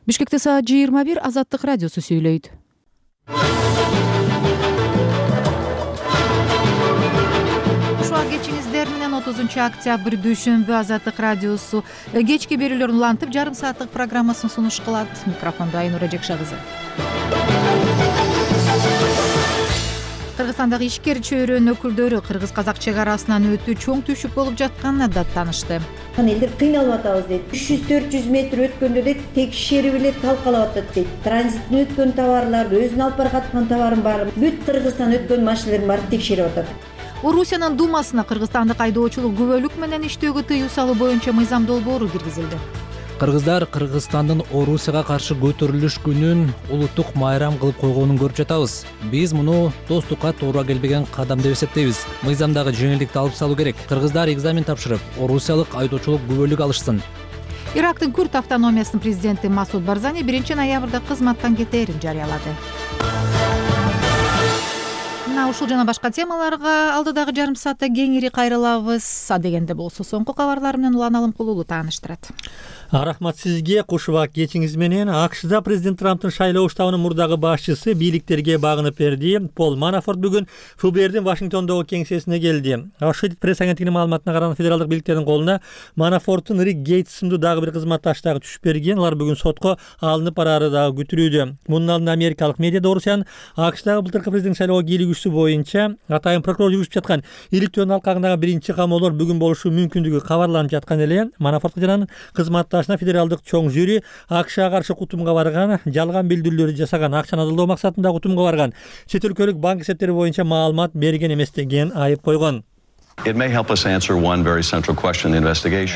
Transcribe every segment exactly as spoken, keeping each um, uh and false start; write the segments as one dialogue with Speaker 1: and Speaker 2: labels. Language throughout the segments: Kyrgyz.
Speaker 1: Бишкекте саат жыйырма бир. Азаттык радиосу сүйлөйт. Ушуга кечиңиздер менен отузунчу октябрь дүйшөмбү Азаттык радиосу кечки берүүлөрүн улантып жарым сааттык программасын сунуш кылат. Микрофондо Айнура Жекша кызы. Кыргызстандагы ишкер чөйрөнүн өкүлдөрү кыргыз-казак чек арасынан өтүү чоң түшүк болуп жатканына да таанышты.
Speaker 2: Элдер кыйналып атабыз дейт. үч жүз төрт жүз метр өткөндө дейт, текшерип эле талкалап атат дейт. Транзиттен өткөн товарларды, өзүнүн алып бараткан товарын баары бүт Кыргызстан өткөн машиналардын баарын текшерип атат.
Speaker 1: Орусиянын Думасына кыргызстандык айдоочулук күбөлүк менен иштөөгө тыюу салуу боюнча мыйзам долбоору киргизилди.
Speaker 3: Кыргыздар Кыргызстандын Орусияга каршы көтөрүлүш күнүн улуттук майрам кылып койгонун көрүп жатабыз. Биз муну достукка туура келбеген кадам деп эсептейбиз. Мыйзамдагы жеңилдикти алып салуу керек. Кыргыздар экзамен тапшырып, орусиялык айдоочулук күбөлүк алышсын.
Speaker 1: Ирактын Күрд автономиясынын президенти Масуд Барзани биринчи ноябрда кызматтан кетээрин жарыялады. Мына ушул жана башка темаларга алдыдагы жарым саатта кеңири кайрылабыз. Адегенде болсо соңку кабарлар менен Улан Алымкулуу тааныштырат.
Speaker 4: Рахмат сизге. Кушубак кечиңиз менен. АКШда президент Трамптын шайлоо штабынын мурдагы башчысы бийликтерге багынып берди. Пол Манафорт бүгүн ФБРдин Вашингтондогу кеңсесине келди. Associated Press агенттигинин маалыматына караганда федералдык бийликтердин колуна Манафорттун Рик Гейтс сымдуу дагы бир кызматташы дагы түшүп берген. Алар бүгүн сотко алынып бараары дагы күтүлүүдө. Мунун алдында америкалык медиада Орусиянын АКШдагы былтыркы президент шайлоого кийлигүүсү боюнча атайын прокурор жүргүзүп жаткан иликтөөнүн алкагындагы биринчи камоолор бүгүн болушу мүмкүндүгү кабарланып жаткан эле. Манафорт жананын кызматташына федералдык чоң жюри АКШга каршы кутумга барган, жалган билдирүүлөрдү жасаган, акчаны адылдоо максатында кутумга барган, чет өлкөлүк банк эсептери боюнча маалымат берген эмес деген айып койгон.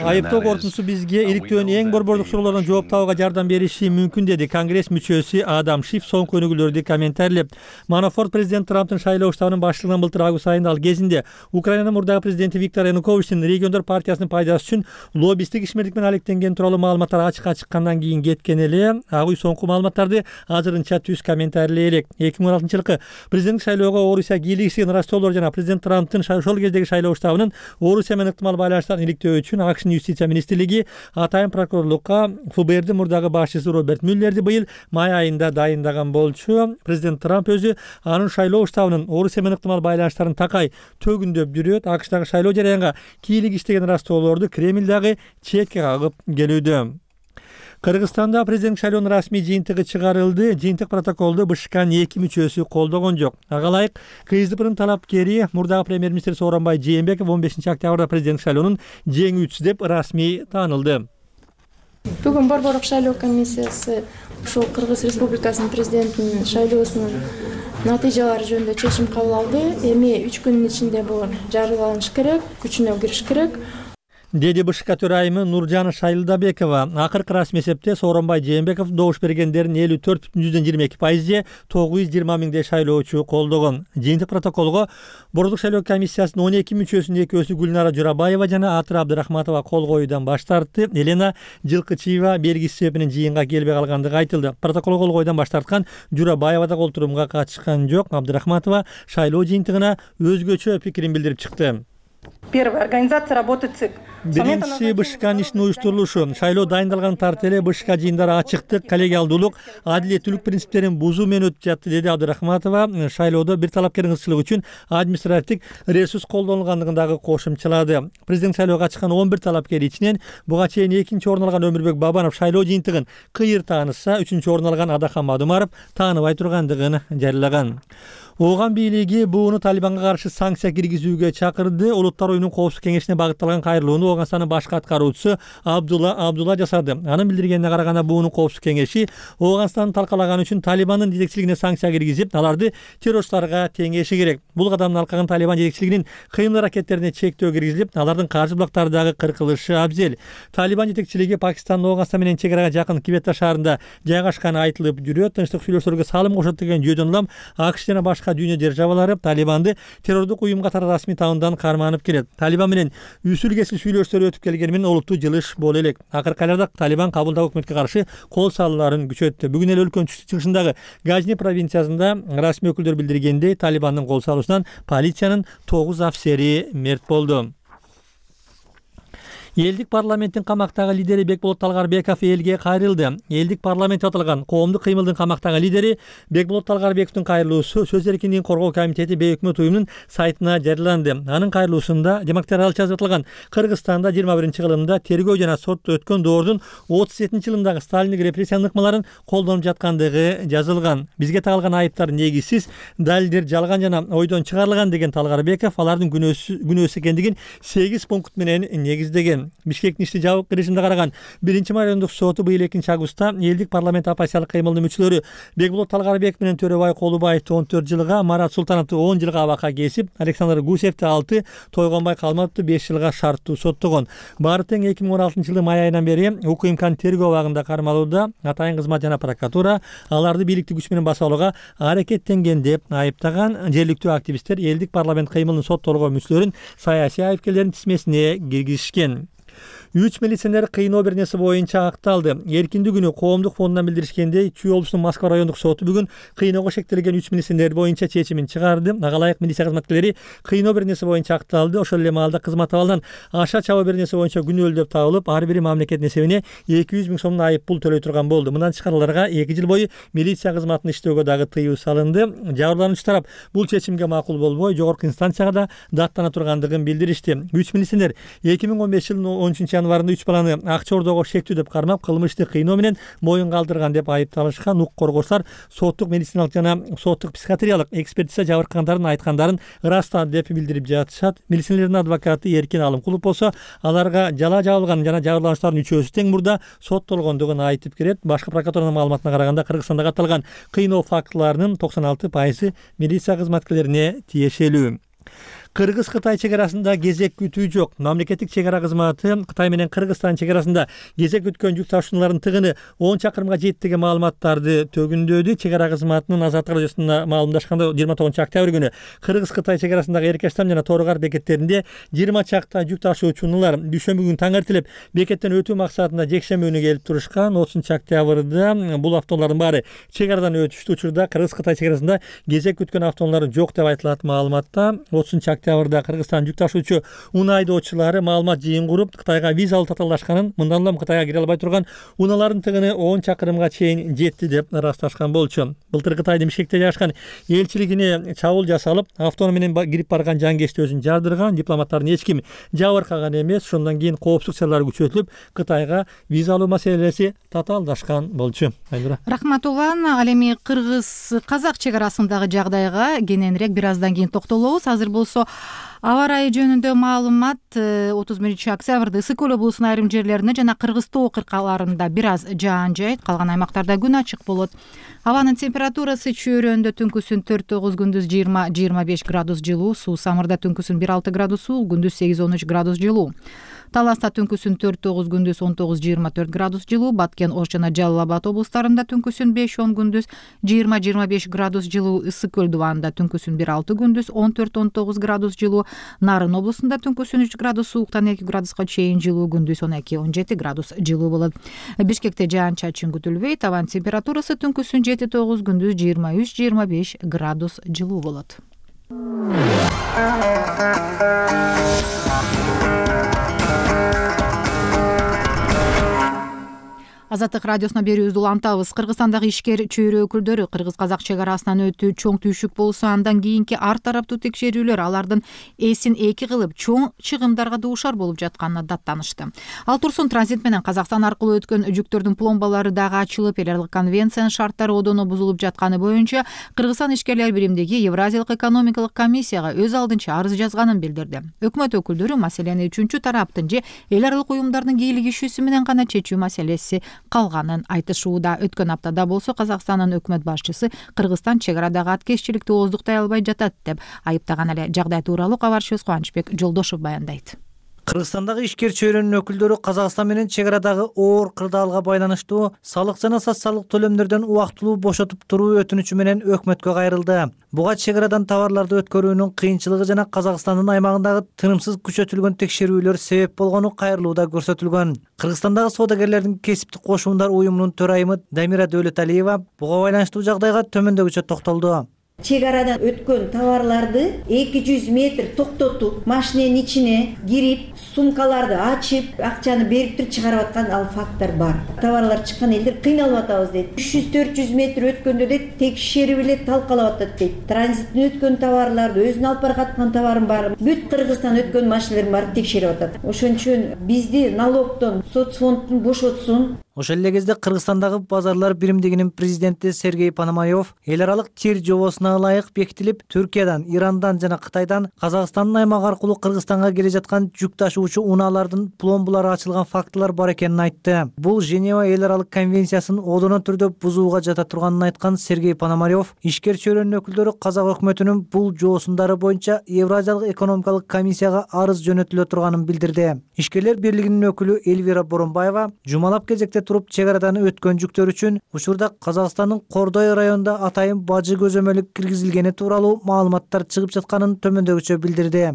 Speaker 4: Айыптоо корутуусу бизге иликтөөнүн эң борбордук суроолоруна жооп табууга жардам бериши мүмкүн, деди Конгресс мүчөсү Адам Шиф соңку өнүгүүлөрдү комментарийлеп. Манафорт президент Трамптын шайлоо штабынын баштыгынан былтыр август айында ал кезинде Украинанын мурдагы президенти Виктор Януковичтин региондор партиясынын пайдасы үчүн лоббисттик ишмердик менен алектенгени тууралуу маалыматтар ачыкка чыккандан кийин кеткен эле. Ак үй соңку маалыматтарды азырынча түз комментарийлей элек. эки миң он алтынчы жылкы президенттик шайлоого Орусия кийлигишкен ыраштоолор жана президент Трамптын ошол кездеги шайлоо штабынын Орусия менен ыктымал байланыштарын иликтөө үчүн АКШнын юстиция министрлиги атайын прокурорлукка ФБРдин мурдагы башчысы Роберт Мюллерди быйыл май айында дайындаган болчу. Президент Трамп өзү анын шайлоо штабынын Орусия менен ыктымал байланыштарын такай төгүндөп жүрөт. АКШдагы шайлоо жараянга кийлигиштеген ыраштоолорду Кремль дагы четке кагып келүүдө. Кыргызстанда президент шайлоонун расмий жыйынтыгы чыгарылды. Жыйынтык протоколду БШКнын эки мүчөсү колдогон жок. Ага ылайык КСДПнын талапкери мурдагы премьер-министр Сооронбай Жээнбеков он бешинчи октябрда президент шайлоонун жеңүүчүсү деп расмий таанылды.
Speaker 5: Бүгүн борборлук шайлоо комиссиясы ушул Кыргыз Республикасынын президентинин шайлоосунун натыйжалары жөнүндө чечим кабыл алды. Эми үч күнүн ичинде бул жарыяланыш керек, күчүнө кириш керек,
Speaker 4: деди БШК төрайымы Нуржан Шайлдабекова. Акыркы расмий эсепте Сооронбай Жээнбеков добуш бергендердин элүү төрт бүтүн жүздөн жыйырма эки пайызы тогуз жүз жыйырма миңдей шайлоочу колдогон. Жыйынтык протоколго борборлук шайлоо комиссиясынын он эки мүчөсүнүн экөөсү Гүлнара Журабаева жана Атыр Абдырахматова кол коюудан баш тартты. Елена Жылкычиева белгисиз себеп менен жыйынга келбей калгандыгы айтылды. Протокол кол коюудан баш тарткан Журабаева да колтурумга катышкан жок. Абдырахматова шайлоо жыйынтыгына өзгөчө пикирин билдирип чыкты.
Speaker 6: Первое. Организация работы ЦИК.
Speaker 4: Биринчиси БШКнын ишин уюштурулушу. Шайлоо дайындалган тарт эле БШК жыйындары ачыктык, коллегиалдуулук, адилеттүүлүк принциптерин бузуу менен өтүп жатты, деди Абдырахматова. Шайлоодо бир талапкердин ыкчылыгы үчүн административдик ресурс колдонулгандыгын дагы кошумчалады. Президент шайлоого катышкан он бир талапкер ичинен буга чейин экинчи орун алган Өмүрбек Бабанов шайлоо жыйынтыгын кыйыр тааныса, үчүнчү орун алган Адахан Мадумаров тааныбай тургандыгын жарыялаган. Ооган бийлиги бууну Талибанга каршы санкция киргизүүгө чакырды. Улуттар оюнунун коопсуздук кеңешине багытталган кайрылууну Ооганстандын башкы аткаруучусу Абдулла Абдулла жасады. Анын билдиргенине караганда буунун коопсуздук кеңеши Ооганстанды талкалаган үчүн Талибандын жетекчилигине санкция киргизип, аларды террорчуларга теңеши керек. Бул кадамдын алкагын Талибан жетекчилигинин кыймыл аракеттерине чектөө киргизилип, алардын каржы булактары дагы кыркылышы абзел. Талибан жетекчилиги Пакистандын Ооганстан менен чек арага жакын Квета шаарында жайгашканы айтылып жүрөт. Тынчтык сүйлөшүүлөргө салым кошот деген жүйөдөн улам АКШ жана башка дүйнө державалары Талибанды террордук уюм катары расмий таануудан карманып келет. Талибан менен үсүл кесил сүйлөшүүлөр өтүп келгени менен олуттуу жылыш боло элек. Акыркы айларда Талибан кабылдагы өкмөткө каршы кол салууларын күчөттү. Бүгүн эле өлкөнүн чыгышындагы Газни провинциясында расмий өкүлдөр билдиргендей, Талибандын кол салуусунан полициянын тогуз офицери мерт болду. Элдик парламенттин камактагы лидери Бекболот Талгарбеков элге кайрылды. Элдик парламент аталган коомдук кыймылдын камактагы лидери Бекболот Талгарбековдун кайрылуусу Сөз эркиндигин коргоо комитети бейөкмөт уюмунун сайтына жарыяланды. Анын кайрылуусунда демократиялык жазып атылган Кыргызстанда жыйырма биринчи кылымда тергөө жана сот өткөн доордун отуз жетинчи жылындагы сталиндик репрессиянын ыкмаларын колдонуп жаткандыгы жазылган. Бизге тагылган айыптар негизсиз, далилдер жалган жана ойдон чыгарылган деген Талгарбеков алардын күнөөсү экендигин сегиз пункт менен негиздеген. Бишкектин ишти жабык режимде караган биринчи райондук соту быйыл экинчи августта элдик парламент оппозициялык кыймылдын мүчөлөрү Бекболот Талгарбеков менен Төрөбай Колубаевди он төрт жылга, Марат Султановду он жылга абакка кесип, Александр Гусевди алты, Тойгонбай Калматовду беш жылга шарттуу соттогон. Баары тең эки миң он алтынчы жылдын май айынан бери УКМКнын тергөө абагында кармалууда. Атайын кызмат жана прокуратура аларды бийликтик күч менен басып алууга аракеттенген деп айыптаган. Жергиликтүү активисттер элдик парламент кыймылынын соттолгоо мүчөлөрүн саясий айыпкерлердин тизмесине киргизишкен. Үч милиционер кыйноо беренеси боюнча акталды. Эркиндүү күнү коомдук фондунан билдиришкендей, Чүй облусунун Москва райондук соту бүгүн кыйноого шектелген үч милиционер боюнча чечимин чыгарды. Ага ылайык милиция кызматкерлери кыйноо беренеси боюнча акталды. Ошол эле маалда кызмат абалынан аша чабуу беренеси боюнча күнөөлүү деп табылып, ар бири мамлекеттин эсебине эки жүз миң сомдон айып пул төлөй турган болду. Мындан тышкары аларга эки жыл бою милиция кызматын иштөөгө дагы тыюу салынды. Жабырлануучу тарап бул чечимге макул болбой, жогорку инстанцияга да даттана тургандыгын билдиришти. Үч милиционер эки миң он беш жылдын он үчүнчү январында үч баланы акча ордоого шектүү деп кармап, кылмышты кыйноо менен моюн калтырган деп айыпталышкан. Укук коргоочулар соттук медициналык жана соттук психиатриялык экспертиза жабыркагандардын айткандарын ырастады деп билдирип жатышат. Милиционердин адвокаты Эркин Алымкулов болсо, аларга жала жабылган жана жабырлануучулардын үчөөсү тең мурда соттолгондугун айтып келет. Башкы прокуратуранын маалыматына караганда, Кыргызстанда катталган кыйноо фактыларынын токсон алты пайызы милиция кызматкерлерине тиешелүү. Кыргыз-Кытай чек арасында кезек күтүү жок. Мамлекеттик чек ара кызматы Кытай менен Кыргызстан чек арасында кезек күткөн жүк ташуучулардын тыгыны он чакырымга жетти деген маалыматтарды төгүндөдү. Чек ара кызматынын Азаттык радиосуна маалымдашканда жыйырма тогузунчу октябрь күнү Кыргыз-Кытай чек арасындагы Эркештам жана Торгар бекеттеринде жыйырма чакта жүк ташуучулар дүйшөмбү күнү таң эртелеп бекеттен өтүү максатында жекшемби күнү келип турушкан. отузунчу октябрда бул автоунаалардын баары чек арадан өтүштү. Учурда Кыргыз-Кытай чек арасында кезек күткөн автоунаалар жок деп айтылат маалыматта. отузунчу октябрда Кыргызстан жүк ташуучу унаа айдоочулары маалымат жыйын куруп, Кытайга виза алып татаалдашканын, мындан улам Кытайга кире албай турган унаалардын тыгыны он чакырымга чейин жетти деп ырасташкан болчу. Былтыр Кытайдын Бишкекте жайгашкан элчилигине чабуул жасалып, автоунаа менен кирип барган жангечти өзүн жардырган. Дипломаттардын эч ким жабыркаган эмес. Ошондон кийин коопсуздук чаралары күчөтүлүп, Кытайга виза алуу маселеси татаалдашкан болчу.
Speaker 1: Рахмат улан. Ал эми кыргыз-казак чек арасындагы жагдайга кененирээк бир аздан кийин токтолобуз. Азыр болсо аба ырайы жөнүндө маалымат. отуз биринчи октябрда Ысык көл облусунун айрым жерлеринде жана Кыргыз тоо кыркаларында бир аз жаан жайт, калган аймактарда күн ачык болот. Абанын температурасы чөйрөндө түнкүсүн төрт тогуз, күндүз жыйырма жыйырма беш градус жылуу, суу самырда түнкүсүн бир алты градус суу, күндүз сегиз он үч градус жылуу. Таласта түнкүсүн төрт тогуз, күндүз он тогуз жыйырма төрт градус жылуу, Баткен, Ош жана Жалал Абад облустарында түнкүсүн беш он, күндүз жыйырма жыйырма беш градус жылуу, Ысык көл дубанында түнкүсүн бир алты, күндүз он төрт он тогуз градус жылуу, Нарын облусунда түнкүсүн үч градус сууктан эки градуска чейин жылуу, күндүз он эки он жети градус жылуу болот. Бишкекте жаан чачын күтүлбөйт, абанын температурасы түнкүсүн жети тогуз, күндүз жыйырма үч жыйырма беш градус жылуу болот. Азаттык радиосуна берүүбүздү улантабыз. Кыргызстандагы ишкер чөйрө өкүлдөрү кыргыз-казак чек арасынан өтүү чоң түйшүк болсо, андан кийинки ар тараптуу текшерүүлөр алардын эсин эки кылып чоң чыгымдарга дуушар болуп жатканына даттанышты. Ал турсун транзит менен Казакстан аркылуу өткөн жүктөрдүн пломбалары дагы ачылып, эл аралык конвенциянын шарттары одоно бузулуп жатканы боюнча Кыргызстан ишкерлер биримдиги Евразиялык экономикалык комиссияга өз алдынча арыз жазганын билдирди. Өкмөт өкүлдөрү маселени үчүнчү тараптын же эл аралык уюмдардын кийлигишүүсү менен гана чечүү маселеси калганын айтышууда. Өткөн аптада болсо Казакстандын өкмөт башчысы Кыргызстан чек арадагы аткезчиликти ооздуктай албай жатат деп айыптаган эле. Жагдай тууралуу кабарчыбыз Кубанычбек Жолдошов баяндайт.
Speaker 7: Кыргызстандагы ишкер чөйрөнүн өкүлдөрү Казакстан менен чек арадагы оор кырдаалга байланыштуу салык жана социалдык төлөмдөрдөн убактылуу бошотуп туруу өтүнүчү менен өкмөткө кайрылды. Буга чек арадан товарларды өткөрүүнүн кыйынчылыгы жана Казакстандын аймагындагы тынымсыз күчөтүлгөн текшерүүлөр себеп болгону кайрылууда көрсөтүлгөн. Кыргызстандагы соодагерлердин кесиптик кошуундар уюмунун төрайымы Дамира Дөөлөталиева буга байланыштуу жагдайга төмөндөгүчө токтолду.
Speaker 2: чек арадан өткөн товарларды эки жүз метр токтотуп, машиненин ичине кирип, сумкаларды ачып, акчаны берип туруп чыгарып аткан ал факттар бар. Товарлар чыккан элдер кыйналып атабыз дейт. үч жүз төрт жүз метр өткөндө дейт, текшерип эле талкалап атат дейт. Транзиттен өткөн товарларды, өзүнүн алып бараткан товарын баарын бүт Кыргызстан өткөн машиналерин баарын текшерип атат. Ошон үчүн бизди налогдон, соцфонддон бошотсун.
Speaker 7: Ошол эле кезде Кыргызстандагы базарлар биримдигинин президенти Сергей Пономарев эл аралык тир жобосуна ылайык бекитилип, Түркиядан, Ирандан жана Кытайдан Казакстандын аймагы аркылуу Кыргызстанга келе жаткан жүк ташуучу унаалардын пломбалары ачылган фактылар бар экенин айтты. Бул Женева эл аралык конвенциясын одоно түрдө бузууга жата турганын айткан Сергей Пономарев, ишкер чөйрөнүн өкүлдөрү казак өкмөтүнүн бул жоосундары боюнча Евразиялык экономикалык комиссияга арыз жөнөтүлө турганын билдирди. Ишкерлер бирлигинин өкүлү Эльвира Боронбаева жумалап кезекте туруп чек арадан өткөн жүктөр үчүн учурда Казакстандын Кордой районунда атайын бажы көзөмөлү киргизилгени тууралуу маалыматтар чыгып жатканын төмөндөгүчө билдирди.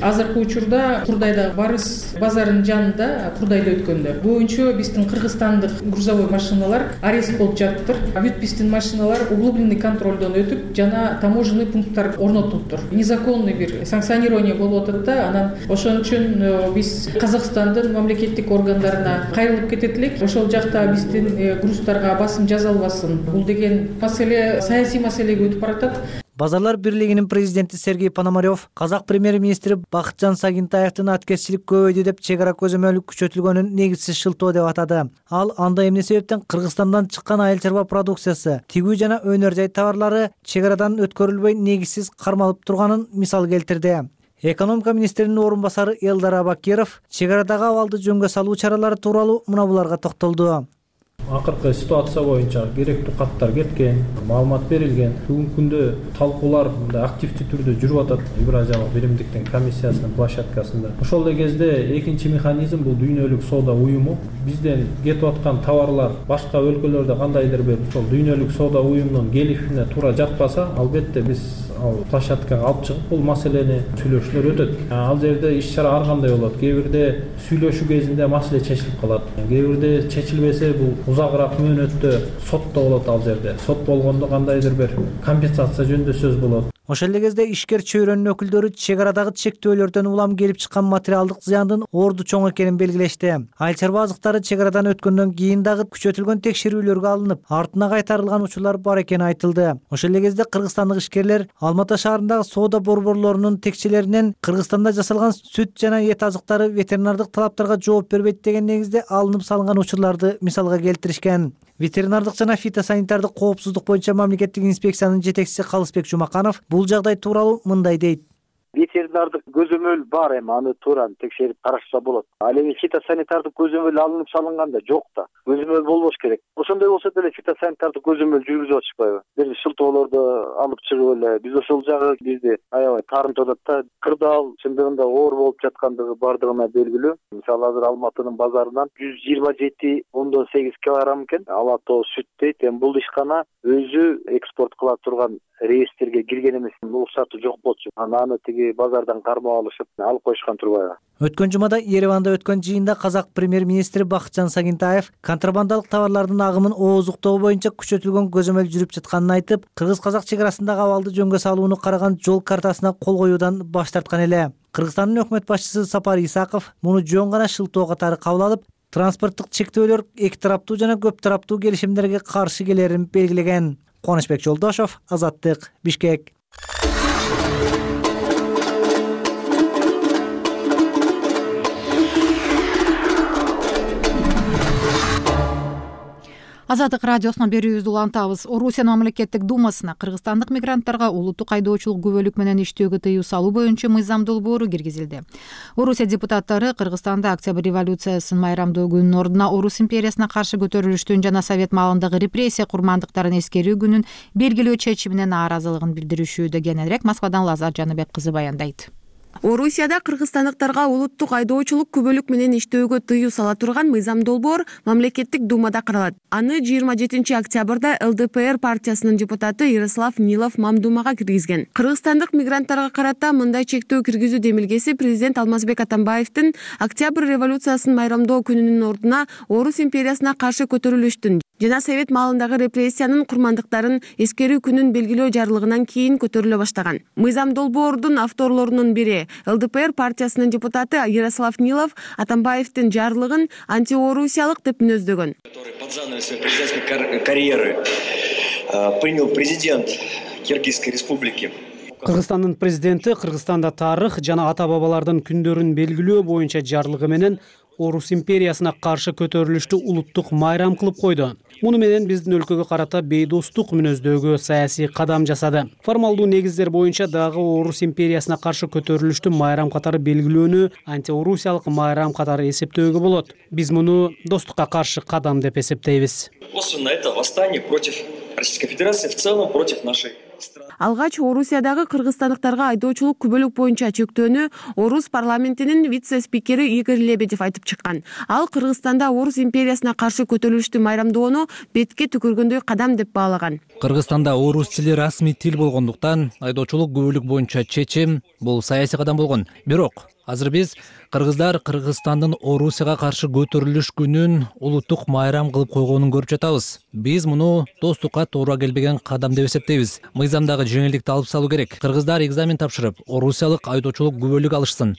Speaker 8: Азыркы учурда Курдайда Барыс базарынын жанында, Курдайда өткөндө боюнча биздин кыргызстандык грузовой машиналар арест болуп жатыптыр. Бүт биздин машиналар углубленный контролдон өтүп, жана таможенный пункттар орнотулуптур. Незаконный бир санкционирование болуп атат да, анан ошон үчүн биз Казакстандын мамлекеттик органдарына кайрылып кетет элек. Ошол жакта биздин груздарга басым жасалбасын. Бул деген маселе саясий маселеге өтүп баратат.
Speaker 7: Базарлар бирлигинин президенти Сергей Пономарев казак премьер-министри Бакытжан Сагынтаевдин аткезчилик көбөйдү деп чек ара көзөмөлү күчөтүлгөнүн негизсиз шылтоо деп атады. Ал анда эмне себептен Кыргызстандан чыккан айыл чарба продукциясы, тигүү жана өнөр жай товарлары чек арадан өткөрүлбөй негизсиз кармалып турганын мисал келтирди. Экономика министринин орун басары Элдар Абакиров чек арадагы абалды жөнгө салуу чаралары тууралуу мына буларга токтолду.
Speaker 9: Акыркы ситуация боюнча керектүү каттар кеткен, маалымат берилген. Бүгүнкү күндө талкуулар мындай активдүү түрдө жүрүп атат Евразиялык биримдиктин комиссиясынын площадкасында. Ошол эле кезде экинчи механизм бул дүйнөлүк соода уюму. Бизден кетип аткан товарлар башка өлкөлөрдө кандайдыр бир ошол дүйнөлүк соода уюмунун келишимине туура жатпаса, албетте биз ал площадкага алып чыгып бул маселени сүйлөшүүлөр өтөт. Ал жерде иш чара ар кандай болот. Кээ бирде сүйлөшүү кезинде маселе чечилип калат. Кээ бирде чечилбесе бул узагыраак мөөнөттө сотто болот. Ал жерде сот болгондо кандайдыр бир компенсация жөнүндө сөз болот.
Speaker 7: Ошол эле кезде ишкер чөйрөнүн өкүлдөрү чек арадагы чектөөлөрдөн улам келип чыккан материалдык зыяндын орду чоң экенин белгилешти. Айыл чарба азыктары чек арадан өткөндөн кийин дагы күчөтүлгөн текшерүүлөргө алынып, артына кайтарылган учурлар бар экени айтылды. Ошол эле кезде кыргызстандык ишкерлер Алма ата шаарындагы соода борборлорунун текчелеринен Кыргызстанда жасалган сүт жана эт азыктары ветеринардык талаптарга жооп бербейт деген негизде алынып салынган учурларды мисалга келтиришкен. Ветеринардык жана фитосанитардык коопсуздук боюнча мамлекеттик инспекциянын жетекчиси Калысбек Жумаканов бул жагдай тууралуу мындай дейт.
Speaker 10: Ветеринардык көзөмөл бар, эми аны туура текшерип карашса болот. Ал эми фитосанитардык көзөмөл алынып салынганда жок да. Көзөмөл болбош керек. Ошондой болсо деле фитосанитардык көзөмөл жүргүзүп атышпайбы? Бир шылтоолорду алып чыгып эле биз ошол жагы бизди аябай таарынтып атат да. Кырдаал чындыгында оор болуп жаткандыгы бардыгына белгилүү. Мисалы азыр Алматынын базарынан жүз жыйырма жети ондон сегиз килограмм экен ала тоо сүт дейт. Эми бул ишкана өзү экспорт кыла турган реестрге кирген эмес, уруксаты жок болчу. Аны тиги базардан кармап алышып алып коюшкан турбайбы?
Speaker 7: Өткөн жумада Ереванда өткөн жыйында казак премьер-министри Бакытжан Сагынтаев контрабандалык товарлардын агымын ооздуктоо боюнча күчөтүлгөн көзөмөл жүрүп жатканын айтып, кыргыз-казак чек арасындагы абалды жөнгө салууну караган жол картасына кол коюудан баш тарткан эле. Кыргызстандын өкмөт башчысы Сапар Исаков муну жөн гана шылтоо катары кабыл алып, транспорттук чектөөлөр эки тараптуу жана көп тараптуу келишимдерге каршы келерин белгилеген. Кубанычбек Жолдошов, Азаттык, Бишкек.
Speaker 1: Азаттык радиосуна берүүбүздү улантабыз. Орусиянын мамлекеттик думасына кыргызстандык мигранттарга улуттук айдоочулук күбөлүк менен иштөөгө тыюу салуу боюнча мыйзам долбоору киргизилди. Орусия депутаттары Кыргызстанда Октябрь революциясын майрамдоо күнүнүн ордуна Орус империясына каршы көтөрүлүштүн жана Совет маалындагы репрессия курмандыктарын эскерүү күнүн белгилөө чечимине нааразылыгын билдиришүүдө. Кененирээк Москвадан Лазар Жаныбек кызы баяндайт.
Speaker 11: Орусияда кыргызстандыктарга улуттук айдоочулук күбөлүк менен иштөөгө тыюу сала турган мыйзам долбоор мамлекеттик думада каралат. Аны жыйырма жетинчи октябрда эл дэ пэ эр партиясынын депутаты Ярослав Нилов мамдумага киргизген. Кыргызстандык мигранттарга карата мындай чектөө киргизүү демилгеси президент Алмазбек Атамбаевдин Октябрь революциясын майрамдоо күнүнүн ордуна Орус империясына каршы көтөрүлүштүн жана совет маалындагы репрессиянын курмандыктарын эскерүү күнүн белгилөө жарлыгынан кийин көтөрүлө баштаган. Мыйзам долбоордун авторлорунун бири ЛДПР партиясынын депутаты Ярослав Нилов Атамбаевдин жарлыгын антиорусиялык деп мүнөздөгөн.
Speaker 12: Под занавес своей президентской карьеры принял президент Киргизской республики.
Speaker 13: Кыргызстандын президенти Кыргызстанда тарых жана ата бабалардын күндөрүн белгилөө боюнча жарлыгы менен Орус империясына каршы көтөрүлүштү улуттук майрам кылып койду. Муну менен биздин өлкөгө карата бейдостук мүнөздөгө саясий кадам жасады. Формалдуу негиздер боюнча дагы Орус империясына каршы көтөрүлүштү майрам катары белгилөөнү антиорусиялык майрам катары эсептөөгө болот. Биз муну достукка каршы кадам деп эсептейбиз.
Speaker 12: Косвенно это восстание против Российской Федерации, в целом против нашей страны.
Speaker 11: Алгач Орусиядагы кыргызстандыктарга айдоочулук күбөлүк боюнча чектөөнү Орус парламентинин вице-спикери Игорь Лебедев айтып чыккан. Ал Кыргызстанда Орус империясына каршы көтөрүлүштү майрамдоону бетке түкүргөндөй кадам деп баалаган.
Speaker 3: Кыргызстанда орус тили расмий тил болгондуктан айдоочулук күбөлүк боюнча чечим бул саясий кадам болгон. Бирок азыр биз кыргыздар Кыргызстандын Орусияга каршы көтөрүлүш күнүн улуттук майрам кылып койгонун көрүп жатабыз. Биз муну достукка туура келбеген кадам деп эсептейбиз. Мыйзамдагы жеңилдикти алып салуу керек. Кыргыздар экзамен тапшырып, орусиялык айдоочулук күбөлүк алышсын.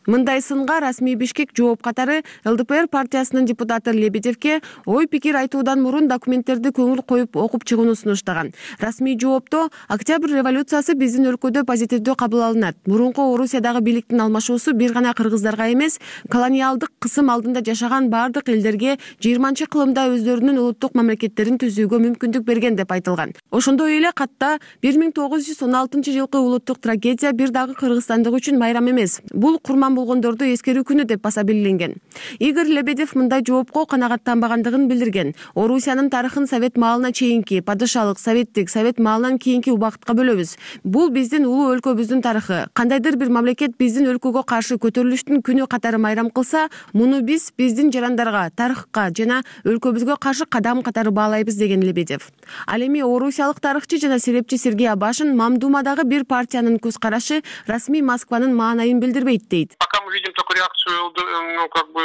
Speaker 11: Мындай сынга расмий Бишкек жооп катары ЛДПР партиясынын депутаты Лебедевке ой пикир айтуудан мурун документтерди көңүл коюп окуп чыгууну сунуштаган. Расмий жоопто Октябрь революциясы биздин өлкөдө позитивдүү кабыл алынат. Мурунку Орусиядагы бийликтин алмашуусу бир гана кыргыздарга эмес, колониалдык кысым алдында жашаган бардык элдерге жыйырманчы кылымда өздөрүнүн улуттук мамлекеттерин түзүүгө мүмкүндүк берген деп айтылган. Ошондой эле катта бир миң тогуз жүз он алтынчы жылкы улуттук трагедия бир дагы кыргызстандык үчүн майрам эмес. Бул курман болгондорду эскерүү күнү деп баса белгиленген. Игорь Лебедев мындай жоопко канагаттанбагандыгын билдирген. Орусиянын тарыхын совет маалына чейинки, падышалык, советтик, совет маалынан кийинки убакытка бөлөбүз. Бул биздин улуу өлкөбүздүн тарыхы. Кандайдыр бир мамлекет биздин өлкөгө каршы көтөрүлүштүн күнү катары майрам кылса, муну биз биздин жарандарга, тарыхка жана өлкөбүзгө каршы кадам катары баалайбыз деген Лебедев. Ал эми орусиялык тарыхчы жана серепчи Сергей Абашин Мамдумадагы бир партиянын көз карашы расмий Москванын маанайын билдирбейт дейт.
Speaker 14: Пока мы видим только реакцию, ну, как бы,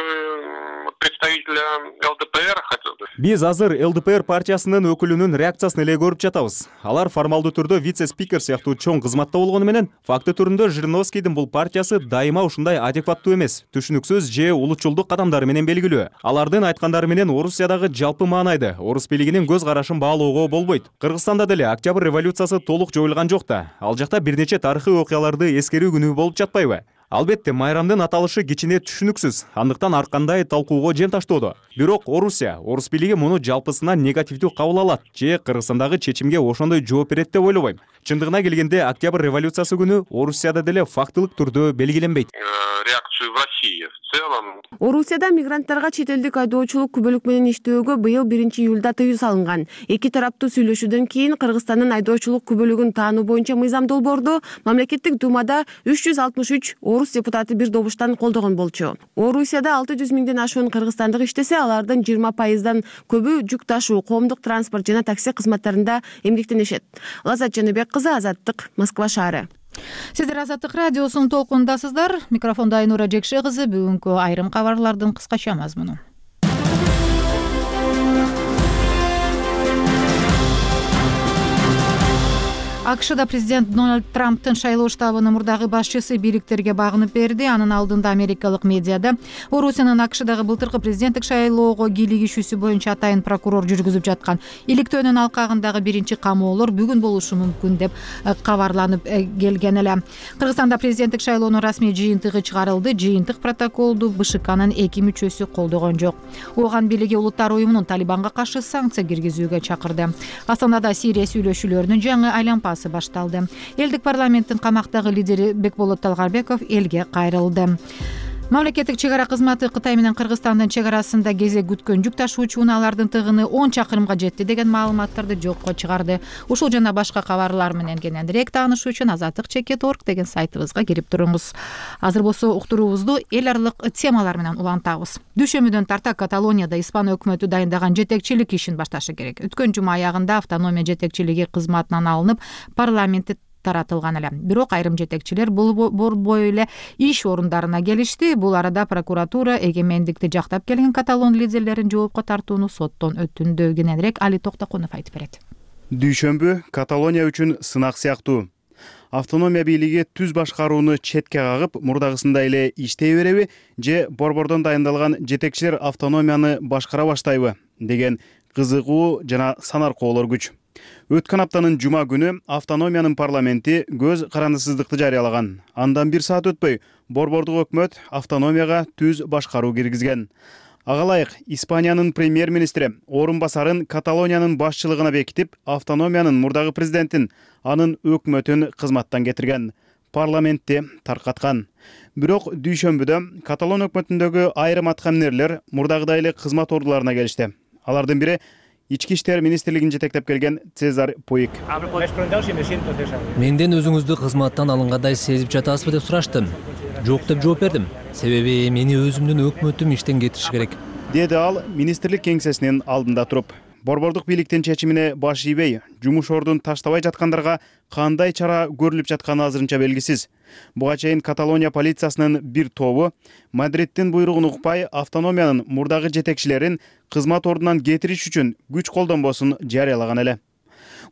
Speaker 14: представителя ЛДПР.
Speaker 15: Биз азыр ЛДПР партиясынын өкүлүнүн реакциясын эле көрүп жатабыз. Алар формалдуу түрдө вице-спикер сыяктуу чоң кызматта болгону менен, факты түрүндө Жириновскийдин бул партиясы дайыма ушундай адекваттуу эмес, түшүнүксүз же улутчулдук кадамдары менен белгилүү. Алардын айткандары менен Орусиядагы жалпы маанайды, орус бийлигинин көз карашын баалоого болбойт. Кыргызстанда деле Октябрь революциясы толук жоюлган жок да. Ал жакта бир нече тарыхый окуяларды эскерүү күнү болуп жатпайбы? Албетте, майрамдын аталышы кичине түшүнүксүз, андыктан ар кандай талкууга жем таштоодо. Бирок Орусия, орус бийлиги муну жалпысынан негативдүү кабыл алат же Кыргызстандагы чечимге ошондой жооп берет деп ойлобойм. Чындыгына келгенде, Октябрь революциясы күнү Орусияда деле фактылык түрдө белгиленбейт.
Speaker 14: Реакцию в России в целом.
Speaker 11: Орусияда мигранттарга чет элдик айдоочулук күбөлүк менен иштөөгө быйыл биринчи июлда тыюу салынган. Эки тараптуу сүйлөшүүдөн кийин Кыргызстандын айдоочулук күбөлүгүн таануу боюнча мыйзам долбоорду мамлекеттик думада үч жүз алтымыш үч орус депутаты бир добуштан колдогон болчу. Орусияда алты жүз миңден ашуун кыргызстандык иштесе, алардын жыйырма пайыздан көбү жүк ташуу, коомдук транспорт жана такси кызматтарында эмгектенишет. Лазат Жаныбек кызы, Азаттык, Москва шаары.
Speaker 1: Сиздер Азаттык радиосунун толкундасыздар. Микрофонда Айнура Жекше кызы. Бүгүнкү айрым кабарлардын кыскача мазмуну. АКШда президент Дональд Трамптын шайлоо штабынын мурдагы башчысы бийликтерге багынып берди. Анын алдында америкалык медиада Орусиянын АКШдагы былтыркы президенттик шайлоого кийлигишүүсү боюнча атайын прокурор жүргүзүп жаткан иликтөөнүн алкагындагы биринчи камоолор бүгүн болушу мүмкүн деп кабарланып келген эле. Кыргызстанда президенттик шайлоонун расмий жыйынтыгы чыгарылды. Жыйынтык протоколду БШКнын эки мүчөсү колдогон жок. Ооган бийлиги улуттар уюмунун Талибанга каршы санкция киргизүүгө чакырды. Астанада Сирия сүйлөшүүлөрүнүн жаңы айланпасы башталды. Элдик парламенттин камактагы лидери Бекболот Талгарбеков элге кайрылды. Мамлекеттик чек ара кызматы Кытай менен Кыргызстандын чек арасында кезек күткөн жүк ташуучу унаалардын тыгыны он чакырымга жетти деген маалыматтарды жокко чыгарды. Ушул жана башка кабарлар менен кененирээк таанышуу үчүн азаттык чекит точка орг деген сайтыбызга кирип туруңуз. Азыр болсо уктуруубузду эл аралык темалар менен улантабыз. Дүйшөмбүдөн тарта Каталонияда Испан өкмөтү дайындаган жетекчилик ишин башташы керек. Өткөн жума аягында автономия жетекчилиги кызматынан алынып, парламентте таратылган эле. Бирок айрым жетекчилер бул борбой эле иш орундарына келишти. Бул арада прокуратура эгемендикти жактап келген каталон лидерлерин жоопко тартууну соттон өтүндү. Кененирээк Али Токтокунов айтып берет.
Speaker 16: Дүйшөмбү Каталония үчүн сынак сыяктуу. Автономия бийлиги түз башкарууну четке кагып, мурдагысындай эле иштей береби же борбордон дайындалган жетекчилер автономияны башкара баштайбы деген кызыгуу жана санаркоолор күч. Өткөн аптанын жума күнү автономиянын парламенти көз карандысыздыкты жарыялаган. Андан бир саат өтпөй борбордук өкмөт автономияга түз башкаруу киргизген. Ага ылайык Испаниянын премьер-министри орун басарын Каталониянын башчылыгына бекитип, автономиянын мурдагы президентин, анын өкмөтүн кызматтан кетирген, парламентти таркаткан. Бирок дүйшөмбүдө Каталон өкмөтүндөгү айрым аткаминерлер мурдагыдай эле кызмат ордуларына келишти. Алардын бири Ички иштер министрлигин жетектеп келген Цезар Пуик.
Speaker 3: Менден өзүңүздү кызматтан алынгандай сезип жатасызбы деп сураштым. Жок деп жооп бердим. Себеби мени өзүмдүн өкмөтүм иштен кетириши керек.
Speaker 16: Деди ал министрлик кеңсесинин алдында туруп. Борбордук бийликтин чечимине баш ийбей, жумуш ордун таштабай жаткандарга кандай чара көрүлүп жатканы азырынча белгисиз. Буга чейин Каталония полициясынын бир тобу Мадридтин буйругун укпай автономиянын мурдагы жетекчилерин кызмат ордунан кетириш үчүн күч колдонбосун жарыялаган эле.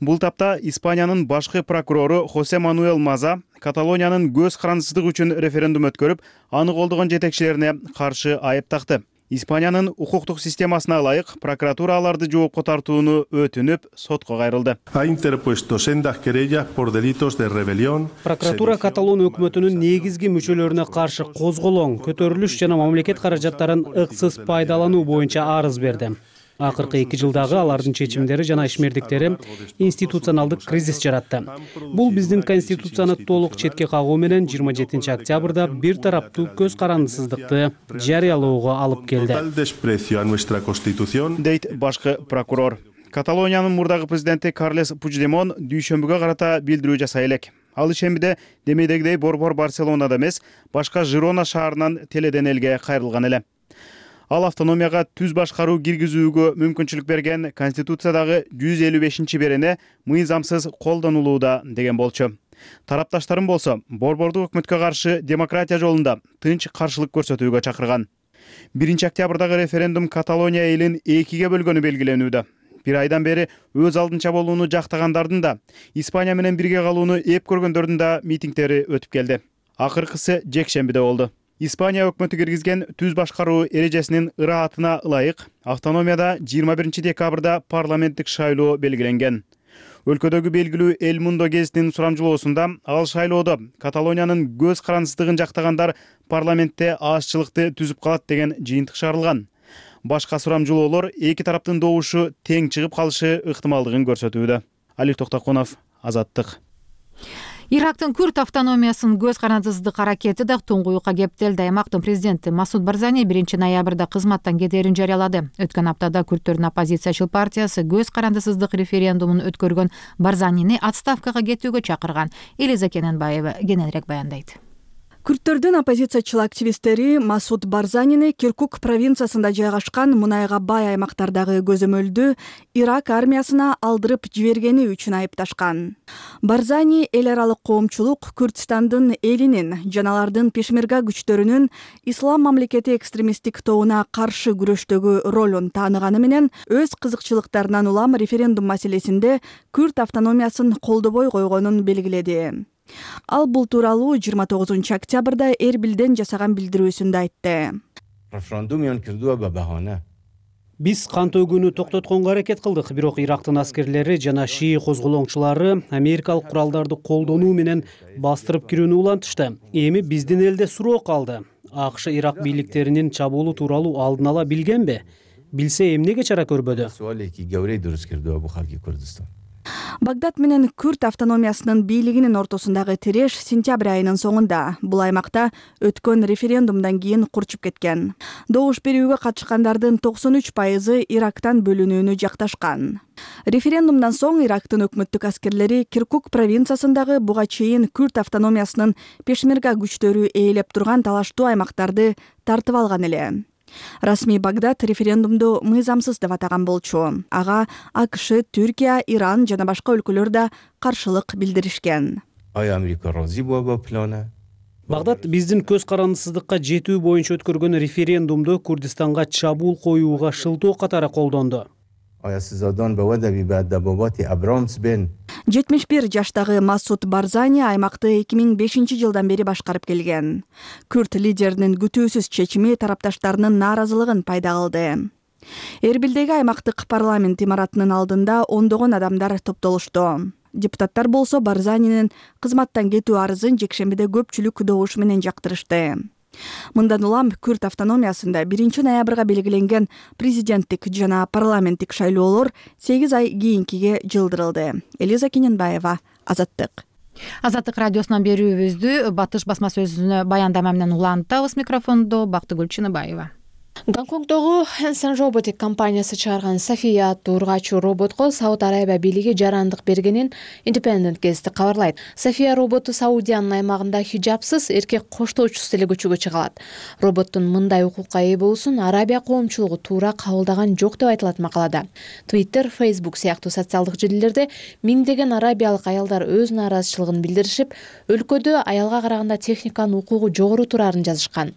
Speaker 16: Бул тапта Испаниянын башкы прокурору Хосе Мануэл Маза Каталониянын көз карандысыздык үчүн референдум өткөрүп, аны колдогон жетекчилерине каршы айып такты. Испаниянын укуктук системасына ылайык прокуратура аларды жоопко тартууну өтүнүп, сотко кайрылды.
Speaker 13: Прокуратура Каталон өкмөтүнүн негизги мүчөлөрүнө каршы козголоң, көтөрүлүш жана мамлекет каражаттарын ыксыз пайдалануу боюнча арыз берди. Акыркы эки жылдагы алардын чечимдери жана ишмердиктери институционалдык кризис жаратты. Бул биздин конституцияны толук четке кагуу менен жыйырма жетинчи октябрда бир тараптуу көз карандысыздыкты жарыялоого алып келди,
Speaker 16: дейт башкы прокурор. Каталониянын мурдагы президенти Карлес Пучдемон дүйшөмбүгө карата билдирүү жасай элек. Ал ишембиде демейдегидей борбор Барселонада эмес, башка Жирона шаарынан теледен элге кайрылган эле. Ал автономияга түз башкаруу киргизүүгө мүмкүнчүлүк берген Конституциядагы жүз элүү бешинчи берене мыйзамсыз колдонулууда деген болчу. Тарапташтарын болсо борбордук өкмөткө каршы демократия жолунда тынч каршылык көрсөтүүгө чакырган. биринчи октябрдагы референдум Каталония элин экиге бөлгөнү белгиленүүдө. Бир айдан бери өз алдынча болууну жактагандардын да, Испания менен бирге калууну эп көргөндөрдүн да митингдери өтүп келди. Акыркысы жекшембиде болду. Испания өкмөтү киргизген түз башкаруу эрежесинин ыраатына ылайык автономияда жыйырма биринчи декабрда парламенттик шайлоо белгиленген. Өлкөдөгү белгилүү Эл Мундо гезитинин сурамжылоосунда ал шайлоодо Каталониянын көз карандысыздыгын жактагандар парламентте азчылыкты түзүп калат деген жыйынтык чыгарылган. Башка сурамжылоолор эки тараптын добушу тең чыгып калышы ыктымалдыгын көрсөтүүдө. Али Токтокунов, Азаттык.
Speaker 1: Ирактын күрд автономиясынын көз карандысыздык аракети да туңгуюкка кептелди. Аймактын президенти Масуд Барзани биринчи ноябрда кызматтан кетээрин жарыялады. Өткөн аптада күрдтөрдүн оппозициячыл партиясы көз карандысыздык референдумун өткөргөн Барзанини отставкага кетүүгө чакырган. Элиза Кененбаева кененирээк баяндайт.
Speaker 17: Күрдтөрдүн оппозициячыл активисттери Масуд Барзанини Киркук провинциясында жайгашкан мунайга бай аймактардагы көзөмөлдү Ирак армиясына алдырып жибергени үчүн айыпташкан. Барзани эл аралык коомчулук Күрдстандын элинин жана алардын пешмерга күчтөрүнүн ислам мамлекети экстремисттик тобуна каршы күрөштөгү ролун тааныганы менен өз кызыкчылыктарынан улам референдум маселесинде Күрд автономиясын колдобой койгонун белгиледи. Ал бул тууралуу жыйырма тогузунчу октябрда Эрбилден жасаган билдирүүсүндө айтты.
Speaker 13: Биз кан төгүүнү токтотконго аракет кылдык, бирок Ирактын аскерлери жана шии козголоңчулары америкалык куралдарды колдонуу менен бастырып кирүүнү улантышты. Эми биздин элде суроо калды. АКШ Ирак бийликтеринин чабуулу тууралуу алдын ала билгенби? Билсе эмнеге чара көрбөдү?
Speaker 17: Багдад менен Күрд автономиясынын бийлигинин ортосундагы тиреш сентябрь айынын соңунда бул аймакта өткөн референдумдан кийин курчуп кеткен. Добуш берүүгө катышкандардын токсон үч пайызы Ирактан бөлүнүүнү жакташкан. Референдумдан соң Ирактын өкмөттүк аскерлери Киркук провинциясындагы буга чейин Күрд автономиясынын пешмерга күчтөрү ээлеп турган талаштуу аймактарды тартып алган эле. Расмий Багдад референдумду мыйзамсыз деп атаган болчу. Ага АКШ, Түркия, Иран жана башка өлкөлөр да каршылык билдиришкен.
Speaker 18: آیا آمریکا راضی بود با پلانه؟
Speaker 13: Багдад биздин көз карандысыздыкка жетүү боюнча өткөргөн референдумду Курдистанга чабуул коюуга шылтоо катары колдонду.
Speaker 18: آیا سزادان به ودبی به دبابات ابرامس بین؟
Speaker 17: жетимиш бир жаштагы Масуд Барзани аймакты эки миң бешинчи жылдан бери башкарып келген. Күрд лидеринин күтүүсүз чечими тарапташтарынын нааразылыгын пайда кылды. Эрбилдеги аймактык парламент имаратынын алдында ондогон адамдар топтолушту. Депутаттар болсо Барзанинин кызматтан кетүү арызын жекшембиде көпчүлүк добуш менен жактырышты. Мындан улам Күрд автономиясында биринчи ноябрга белгиленген президенттик жана парламенттик шайлоолор сегиз ай кийинкиге жылдырылды. Элиза Кененбаева, Азаттык.
Speaker 1: Азаттык радиосунан берүүбүздү Батыш басма сөзүнө баяндама менен улантабыз. Микрофондо Бактыгүл Чыныбаева.
Speaker 19: Гонконгдогу Hanson Robotics компаниясы чыгарган София аттуу ургачуу роботко Сауд Арабия бийлиги жарандык бергенин Independent газети кабарлайт. София роботу Саудиянын аймагында хижапсыз эркек коштоочусуз эле көчөгө чыга алат. Роботтун мындай укукка ээ болуусун Арабия коомчулугу туура кабылдаган жок деп айтылат макалада. Twitter, Facebook сыяктуу социалдык желилерде миңдеген арабиялык аялдар өз нааразычылыгын билдиришип, өлкөдө аялга караганда техниканын укугу жогору турарын жазышкан.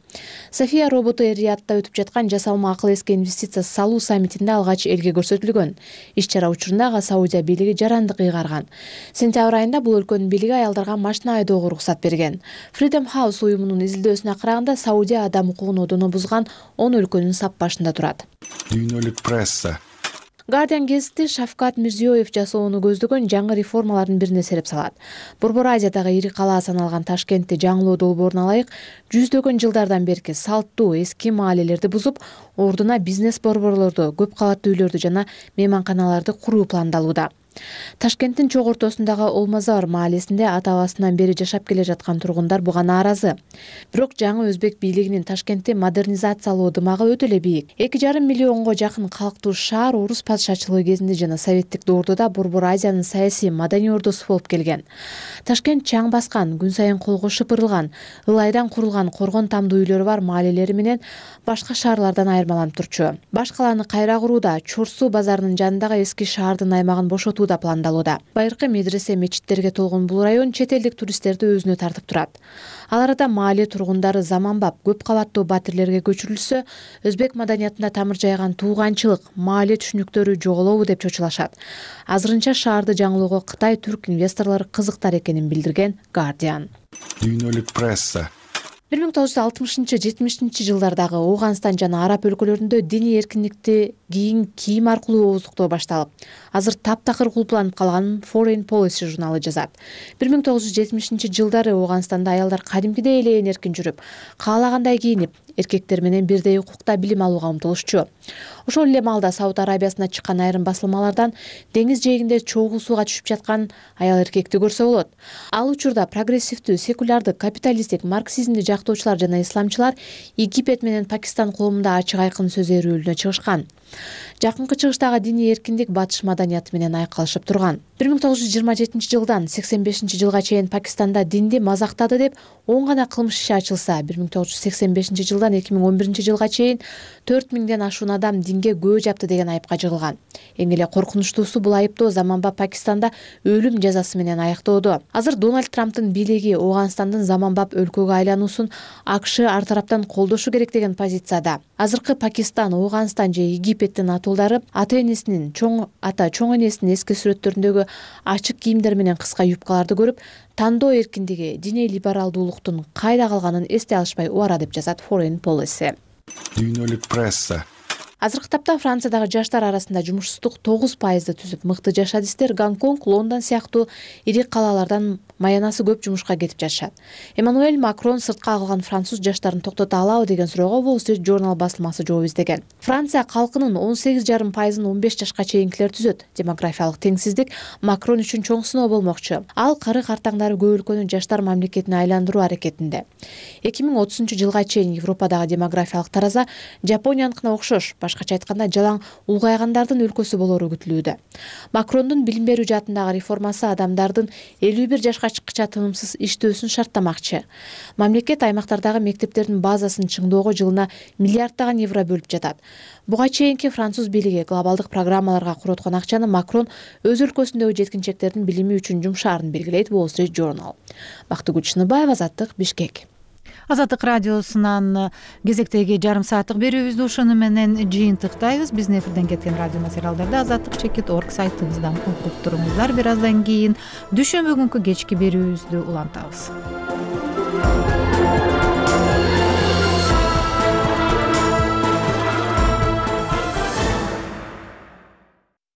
Speaker 19: София роботу Эр-Риядда өтүп жаткан жасалма акыл эске инвестиция салуу саммитинде алгач элге көрсөтүлгөн. Иш-чара учурунда Саудия бийлиги жарандык ыйгарган. Сентябрь айында бул өлкөнүн бийлиги аялдарга машина айдоого уруксат берген. Freedom House уюмунун изилдөөсүнө караганда Саудия адам укугун одоно бузган он өлкөнүн сап башында турат.
Speaker 20: Дүйнөлүк пресса.
Speaker 19: Guardian газети Шавкат Мирзиёев жасоону көздөгөн жаңы реформалардын бирине сереп салат. Борбор Азиядагы ири калаа саналган Ташкентте жаңылоо долбоорун алайык, жүздөгөн жылдардан берки салттуу эски маалелерди бузуп, ордуна бизнес борборлорду, көп кабаттуу үйлөрдү жана мейманканаларды куруу пландалууда. Ташкенттин чок ортосундагы Олмазар маалесинде ата-бабасынан бери жашап келе жаткан тургундар буга нааразы. Бирок жаңы өзбек бийлигинин Ташкентти модернизациялоо дымагы өтө эле бийик. эки жарым миллионго жакын калктуу шаар орус падышачылыгы кезинде жана советтик доордо Борбор Азиянын саясий маданий ордосу болуп келген. Ташкент чаң баскан, күн сайын колго шыпырылган, ылайдан курулган коргон тамдуу үйлөрү бар маалелери менен башка шаарлардан айырмаланып турчу. Баш калааны кайра курууда Чорсу базарынын жанындагы эски шаардын аймагын бошотуу да пландалууда. Байыркы медресе, мечиттерге толгон бул район чет элдик туристтерди өзүнө тартып турат. Ал арада маале тургундары заманбап көп кабаттуу батирлерге көчүрүлсө, өзбек маданиятында тамыр жайган тууганчылык, маале түшүнүктөрү жоголобу деп чочулашат. Азырынча шаарды жаңылоого Кытай түрк инвесторлору кызыктар экенин билдирген Guardian.
Speaker 20: Дүйнөлүк пресса.
Speaker 19: бир миң тогуз жүз алтымышынчы жетимишинчи жылдардагы Ооганстан жана араб өлкөлөрүндө диний эркиндикти кийин кийим аркылуу ооздуктоо башталып, азыр таптакыр кулпланып калганын Foreign Policy журналы жазат. бир миң тогуз жүз жетимишинчи жылдары Ооганстанда аялдар кадимкидей эле эркин жүрүп, каалагандай кийинип, эркектер менен бирдей укукта билим алууга умтулушчу. Ошол эле маалда Сауд Арабиясына чыккан айрым басылмалардан деңиз жээгинде чогуу сууга түшүп жаткан аял эркекти көрсө болот. Ал учурда прогрессивдүү, секулярдык, капиталисттик, марксизмди жактоочулар жана исламчылар Египет менен Пакистан коомунда ачык айкын сөз эрүүлүнө чыгышкан. Жакынкы чыгыштагы диний эркиндик батыш маданияты менен айкалышып турган. бир миң тогуз жүз жыйырма жетинчи жылдан сексен бешинчи жылга чейин Пакистанда динди мазактады деп он гана кылмыш иши ачылса, бир миң тогуз жүз сексен бешинчи жылдан эки миң он биринчи жылга чейин төрт миңден ашуун адам динге көө жапты деген айыпка жыгылган. Эң эле коркунучтуусу бул айыптоо заманбап Пакистанда өлүм жазасы менен аяктоодо. Азыр Дональд Трамптын бийлиги Ооганстандын заманбап өлкөгө айлануусун АКШ ар тараптан колдошу керек деген позицияда. Азыркы Пакистан, Ооганстан же Египеттин атуулдары ата энесинин, чоң ата чоң энесинин эски сүрөттөрүндөгү ачык кийимдер менен кыска юбкаларды көрүп, тандоо эркиндиги, диний либералдуулуктун кайда калганын эсте алышпай убара деп жазат Foreign Policy.
Speaker 20: Дүйнөлүк пресса.
Speaker 19: Азыркы тапта Франциядагы жаштар арасында жумушсуздук тогуз пайызды түзүп, мыкты жашадистер Гонконг, Лондон сыяктуу ири калалардан маянасы көп жумушка кетип жатышат. Эммануэль Макрон сыртка калган француз жаштарын токтото алабы деген суроого Wall Street Journal басылмасы жооп издеген. Франция калкынын он сегиз жарым пайызын он беш жашка чейинкилер түзөт. Демографиялык теңсиздик Макрон үчүн чоң сыноо болмокчу. Ал кары картаңдары көп өлкөнү жаштар мамлекетине айландыруу аракетинде. эки миң отузунчу жылга чейин Европадагы демографиялык тараза Жапонияныкына окшош башкача айтканда жалаң улгайгандардын өлкөсү болору күтүлүүдө. Макрондун билим берүү жаатындагы реформасы адамдардын элүү бир жашка чыккыча тыгымсыз иштөөсүн шарттамакчы. Мамлекет аймактардагы мектептердин базасын чыңдоого жылына миллиарддаган евро бөлүп жатат. Буга чейинки француз бийлиги глобалдык программаларга куроткон акчаны Макрон өз өлкөсүндөгү жеткинчектердин билими үчүн жумшаарын белгилейт. Wall Street Journal. Бактыгүл Чыныбаева, Азаттык, Бишкек.
Speaker 1: Азаттык радиосунан кезектеги жарым сааттык берүүбүздү ушуну менен жыйынтыктайбыз. Биздин эфирден кеткен радио материалдарды азаттык чекит орг сайтыбыздан окуп туруңуздар. Бир аздан кийин дүйшөмбү күнкү кечки берүүбүздү улантабыз.